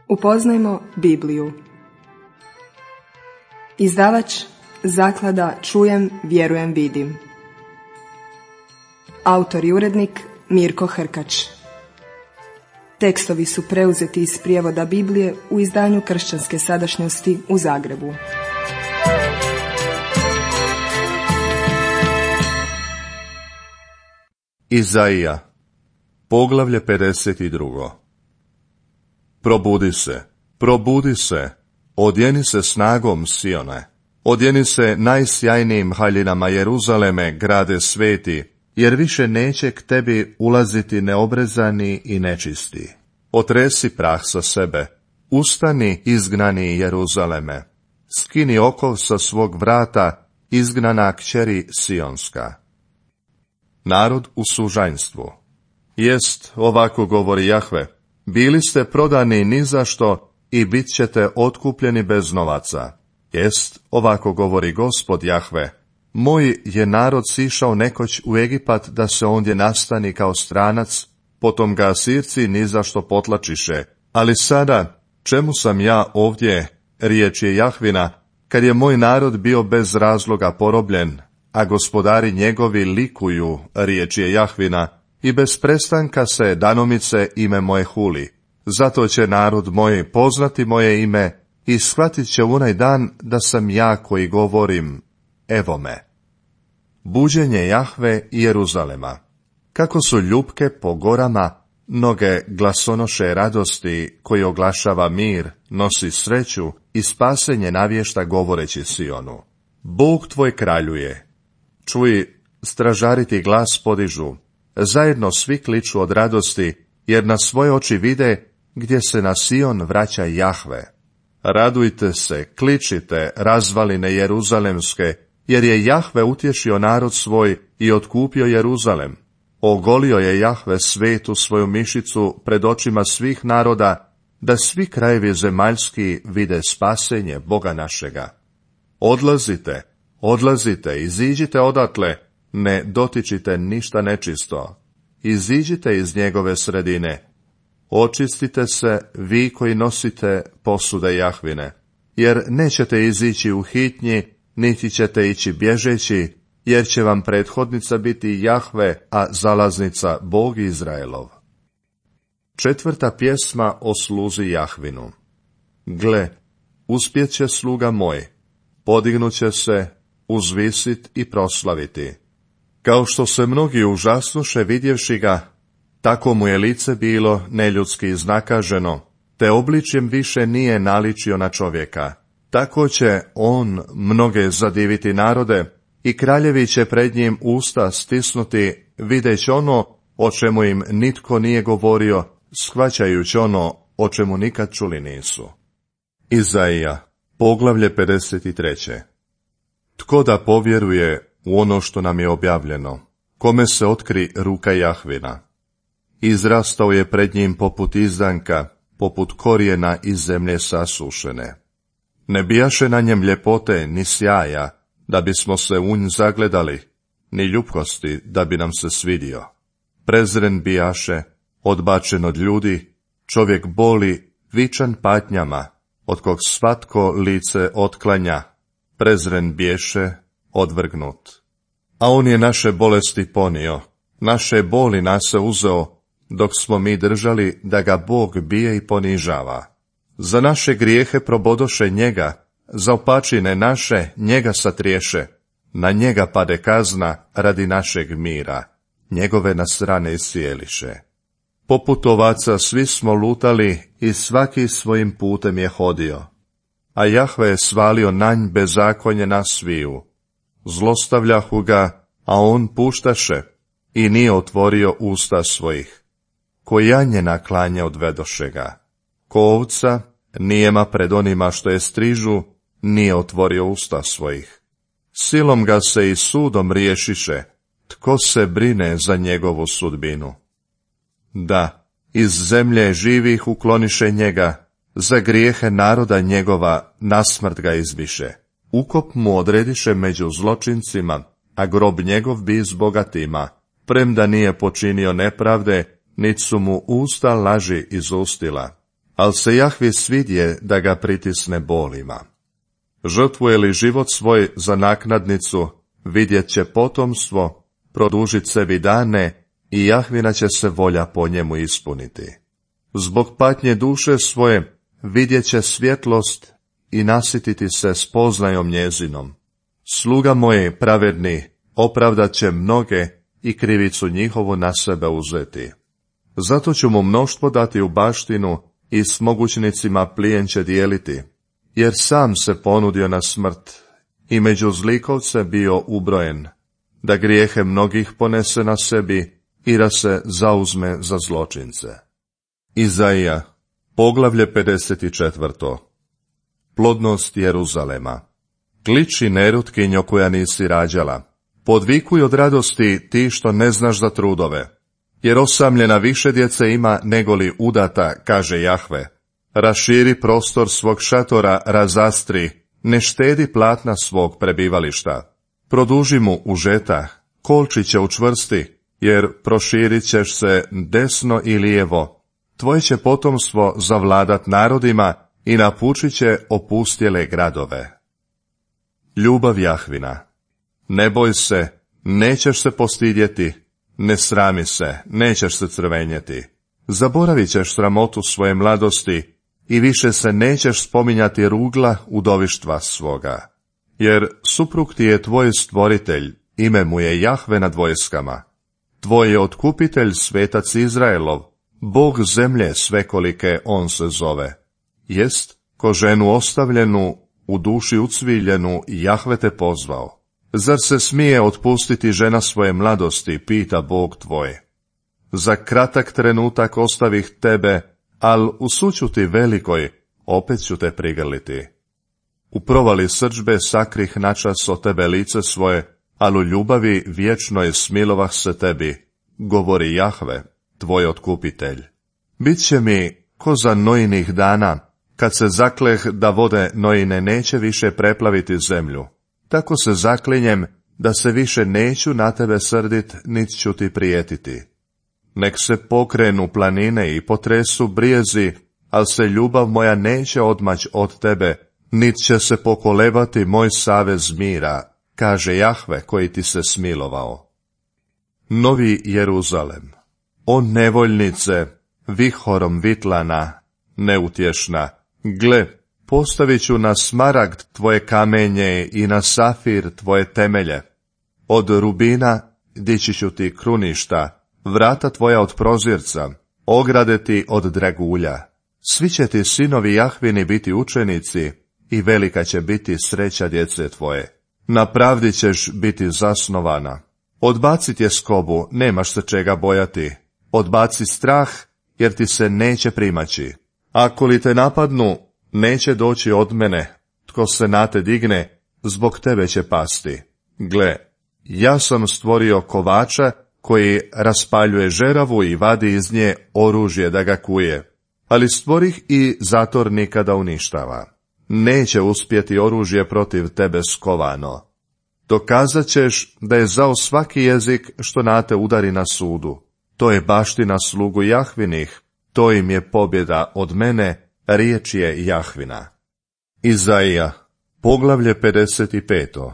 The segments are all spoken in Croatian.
Upoznajmo Bibliju. Izdavač Zaklada Čujem, vjerujem, vidim. Autor i urednik Mirko Hrkač. Tekstovi su preuzeti iz prijevoda Biblije u izdanju Kršćanske sadašnjosti u Zagrebu. Izaija, poglavlje 52. Probudi se, odjeni se snagom Sione, odjeni se najsjajnijim haljinama Jeruzaleme, grade sveti, jer više neće k tebi ulaziti neobrezani i nečisti. Otresi prah sa sebe, ustani, izgnani Jeruzaleme, skini okov sa svog vrata, izgnana kćeri Sionska. Narod u sužanjstvu. Jest, ovako govori Jahve, bili ste prodani ni za što i bit ćete otkupljeni bez novaca. Jest, ovako govori Gospod Jahve, moj je narod sišao nekoć u Egipat da se ondje nastani kao stranac, potom ga Asirci ni za što potlačiše, ali sada, čemu sam ja ovdje, riječ je Jahvina, kad je moj narod bio bez razloga porobljen, a gospodari njegovi likuju, riječ je Jahvina, i bez prestanka se danomice ime moje huli. Zato će narod moj poznati moje ime i shvatit će onaj dan da sam ja koji govorim, evo me. Buđenje Jahve i Jeruzalema. Kako su ljupke po gorama, noge glasonoše radosti, koji oglašava mir, nosi sreću i spasenje navješta govoreći Sionu. Bog tvoj kraljuje. Čuj, stražari ti glas podižu, zajedno svi kliču od radosti, jer na svoje oči vide gdje se na Sion vraća Jahve. Radujte se, kličite, razvaline Jeruzalemske, jer je Jahve utješio narod svoj i otkupio Jeruzalem. Ogolio je Jahve svetu svoju mišicu pred očima svih naroda, da svi krajevi zemaljski vide spasenje Boga našega. Odlazite, iziđite odatle, ne dotičite ništa nečisto. Iziđite iz njegove sredine. Očistite se, vi koji nosite posude Jahvine, jer nećete izići u hitnji, niti ćete ići bježeći, jer će vam prethodnica biti Jahve, a zalaznica Bog Izraelov. 4. pjesma o sluzi Jahvinu. Gle, uspjet će sluga moj, podignuće se, uzvisit i proslaviti. Kao što se mnogi užasnuše vidjevši ga, tako mu je lice bilo neljudski iznakaženo, te obličjem više nije naličio na čovjeka. Tako će on mnoge zadiviti narode i kraljevi će pred njim usta stisnuti, videć ono o čemu im nitko nije govorio, shvaćajući ono o čemu nikad čuli nisu. Izaija, poglavlje 53. Tko da povjeruje u ono što nam je objavljeno, kome se otkri ruka Jahvina? Izrastao je pred njim poput izdanka, poput korijena iz zemlje sasušene. Ne bijaše na njem ljepote ni sjaja, da bismo se u nj zagledali, ni ljubkosti, da bi nam se svidio. Prezren bijaše, odbačen od ljudi, čovjek boli, vičan patnjama, od kog svatko lice otklanja, prezren biješe, odvrgnut. A on je naše bolesti ponio, naše boli nase uzeo, dok smo mi držali da ga Bog bije i ponižava. Za naše grijehe probodoše njega, za opačine naše njega satriješe, na njega pade kazna radi našeg mira, njegove nas rane iscijeliše. Poput ovaca svi smo lutali i svaki svojim putem je hodio, a Jahve je svalio na nj bezakonje nas sviju. Zlostavljahu ga, a on puštaše i nije otvorio usta svojih. Ko janje na klanje odvedoše ga. Ko ovca nijema pred onima što je strižu, nije otvorio usta svojih. Silom ga se i sudom riješiše, tko se brine za njegovu sudbinu? Da, iz zemlje živih ukloniše njega, za grijehe naroda njegova nasmrt ga izbiše. Ukop mu odrediše među zločincima, a grob njegov bi s bogatima, premda nije počinio nepravde, nit su mu usta laži izustila. al se Jahvi svidje da ga pritisne bolima. Žrtvuje li život svoj za naknadnicu, vidjet će potomstvo, produžit sebi dane i Jahvina će se volja po njemu ispuniti. Zbog patnje duše svoje vidjet će svjetlost i nasititi se spoznajom njezinom. Sluga moji pravedni opravdat će mnoge i krivicu njihovu na sebe uzeti. Zato ću mu mnoštvo dati u baštinu i s mogućnicima plijen će dijeliti, jer sam se ponudio na smrt i među zlikovce bio ubrojen, da grijehe mnogih ponese na sebi i da se zauzme za zločince. Izaija, poglavlje 54. Plodnost Jeruzalema. Kliči nerutkinjo koja nisi rađala. Podvikuj od radosti ti što ne znaš za trudove. Jer osamljena više djece ima negoli udata, kaže Jahve. Raširi prostor svog šatora, razastri, ne štedi platna svog prebivališta. Produži mu užetah, kolčiće učvrsti, jer proširit ćeš se desno i lijevo. Tvoje će potomstvo zavladat narodima i napučit će opustjele gradove. Ljubav Jahvina. Ne boj se, nećeš se postidjeti, ne srami se, nećeš se crvenjeti. Zaboravit ćeš sramotu svoje mladosti i više se nećeš spominjati rugla udovištva svoga. Jer suprug ti je tvoj stvoritelj, ime mu je Jahve nad vojskama. Tvoj je otkupitelj svetac Izraelov, Bog zemlje svekolike on se zove. Jest, ko ženu ostavljenu, u duši ucviljenu, Jahve te pozvao. Zar se smije otpustiti žena svoje mladosti, pita Bog tvoj. Za kratak trenutak ostavih tebe, al u sućuti velikoj, opet ću te prigrliti. U provali srdžbe sakrih načas od tebe lice svoje, al u ljubavi vječnoj smilovah se tebi, govori Jahve, tvoj otkupitelj. Biće mi ko za Nojinih dana, kad se zakleh da vode Nojine neće više preplaviti zemlju. Tako se zaklinjem da se više neću na tebe srdit, nit ću ti prijetiti. Nek se pokrenu planine i potresu brijezi, al se ljubav moja neće odmać od tebe, nit će se pokolebati moj savez mira, kaže Jahve koji ti se smilovao. Novi Jeruzalem. O nevoljnice, vihorom vitlana, neutješna, gle, postavit ću na smaragd tvoje kamenje i na safir tvoje temelje. Od rubina dići ću ti kruništa, vrata tvoja od prozirca, ograde ti od dragulja. Svi će ti sinovi Jahvini biti učenici i velika će biti sreća djece tvoje. Na pravdi ćeš biti zasnovana. Odbaci tjeskobu, nemaš se čega bojati. Odbaci strah, jer ti se neće primaći. Ako li te napadnu, neće doći od mene. Tko se na te digne, zbog tebe će pasti. Gle, ja sam stvorio kovača koji raspaljuje žeravu i vadi iz nje oružje da ga kuje. Ali stvorih i zatornika da uništava. Neće uspjeti oružje protiv tebe skovano. Dokazat ćeš da je zao svaki jezik što na te udari na sudu. To je baština slugu Jahvinih, to im je pobjeda od mene, riječ je Jahvina. Izaija, poglavlje 55.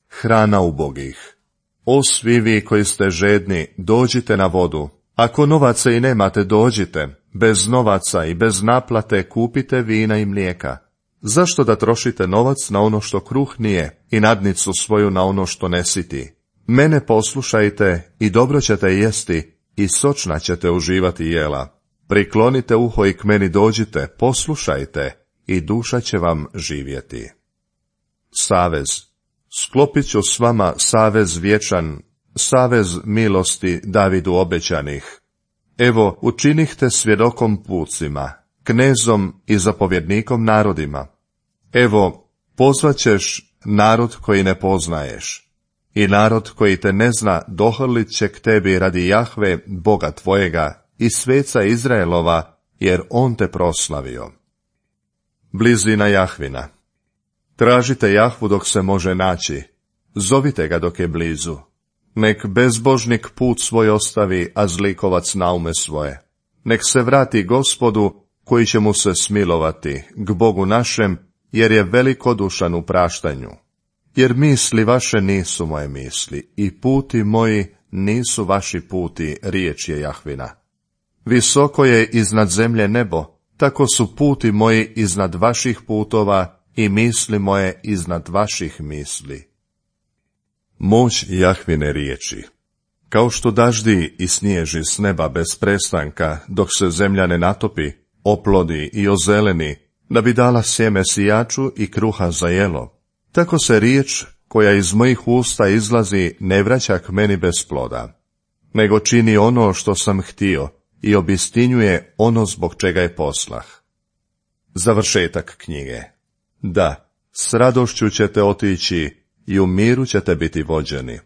Hrana ubogih. O svi vi koji ste žedni, dođite na vodu. Ako novaca i nemate, dođite. Bez novaca i bez naplate kupite vina i mlijeka. Zašto da trošite novac na ono što kruh nije i nadnicu svoju na ono što ne siti? Mene poslušajte i dobro ćete jesti i sočna ćete uživati jela. Priklonite uho i k meni dođite, poslušajte i duša će vam živjeti. Savez. Sklopit ću s vama savez vječan, savez milosti Davidu obećanih. Evo, učinih te svjedokom pucima, knezom i zapovjednikom narodima. Evo, pozvaćeš narod koji ne poznaješ. I narod koji te ne zna dohrlit će k tebi radi Jahve, Boga tvojega, i sveca Izraelova, jer on te proslavio. Blizina Jahvina. Tražite Jahvu dok se može naći, zovite ga dok je blizu. Nek bezbožnik put svoj ostavi, a zlikovac naume svoje. Nek se vrati Gospodu, koji će mu se smilovati, k Bogu našem, jer je velikodušan u praštanju. Jer misli vaše nisu moje misli, i puti moji nisu vaši puti, riječ je Jahvina. Visoko je iznad zemlje nebo, tako su puti moji iznad vaših putova i misli moje iznad vaših misli. Moć Jahvine riječi. Kao što daždi i snježi s neba bez prestanka, dok se zemlja ne natopi, oplodi i ozeleni, da bi dala sjeme sijaču i kruha za jelo, tako se riječ koja iz mojih usta izlazi ne vraća k meni bez ploda, nego čini ono što sam htio i obistinjuje ono zbog čega je poslah. Završetak knjige. Da, s radošću ćete otići i u miru ćete biti vođeni.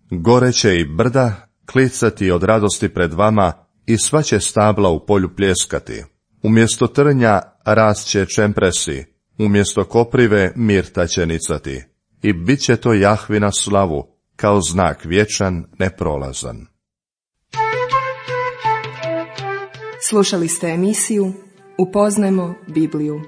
Gore će i brda klicati od radosti pred vama i sva će stabla u polju pljeskati. Umjesto trnja rast će čempresi, umjesto koprive mirta će nicati. I bit će to Jahvina slavu, kao znak vječan, neprolazan. Slušali ste emisiju Upoznajmo Bibliju.